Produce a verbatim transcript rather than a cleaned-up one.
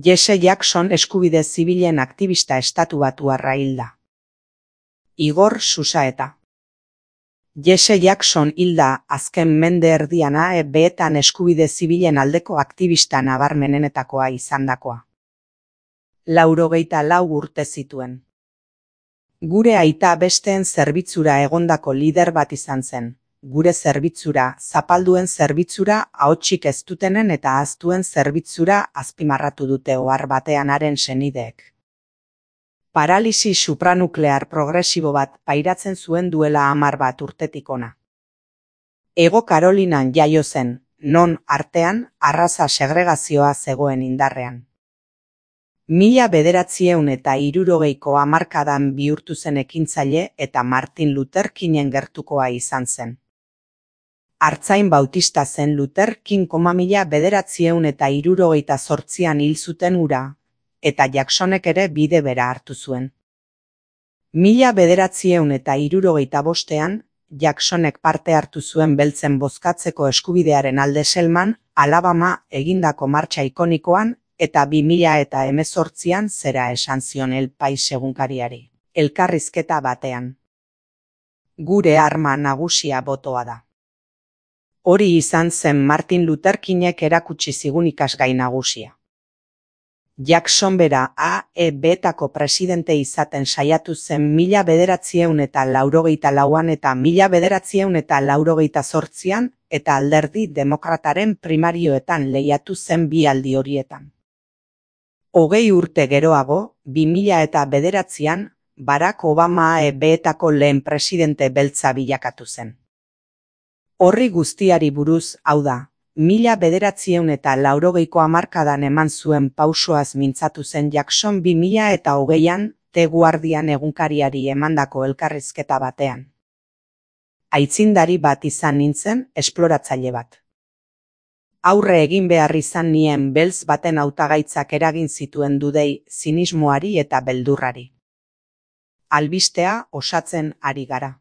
Jesse Jackson eskubide zibilen aktivista estatubatuarra hilda. Igor Susaeta. Jesse Jackson hilda azken mende erdian A E B-etan eskubide zibilen aldeko aktivista nabarmenenetakoa izandakoa. Laurogeita lau urte zituen. Gure aita besteen zerbitzura egondako lider bat izan zen. Gure zerbitzura, zapalduen zerbitzura, ahotsik ez dutenen eta ahaztuen zerbitzura azpimarratu dute ohar batean haren senideek. Paralisi supranuklear progresibo bat pairatzen zuen duela hamar bat urtetik ona. Hego Karolinan jaio zen, non artean arraza segregazioa zegoen indarrean. Mila bederatzieun eta hirurogeiko hamarkadan bihurtu zen ekintzaile eta Martin Luther Kingen gertukoa izan zen. Artzain bautista zen Luther King mila bederatzieun eta hirurogeita zortzian hil zuten hura, eta Jacksonek ere bide bera hartu zuen. Mila bederatzieun eta hirurogeita bostean, Jacksonek parte hartu zuen beltzen bozkatzeko eskubidearen alde Selman, Alabama egindako martxa ikonikoan, eta bi mila eta hemezortzian zera esan zion El Pais egunkariari, elkarrizketa batean. Gure arma nagusia botoa da. Hori izan zen Martin Luther Kingek erakutsi zigun ikasgai nagusia. Jackson bera A E B-etako presidente izaten saiatu zen mila bederatzieun eta laurogeita lauan eta mila bederatzieun eta laurogeita zortzian eta alderdi demokrataren primarioetan lehiatu zen bi aldi horietan. Hogei urte geroago, bi mila eta bederatzian, Barack Obama A E B-etako lehen presidente beltza bilakatu zen. Horri guztiari buruz, hau da, mila bederatzieun eta laurogeiko hamarkadan eman zuen pausoaz mintzatu zen Jackson bi mila eta hogeian, The Guardian egunkariari emandako elkarrizketa batean. Aitzindari bat izan nintzen, esploratzaile bat. Aurre egin behar izan nien beltz baten hautagaitzak eragin zituen dudei zinismoari eta beldurrari. Albistea osatzen ari gara.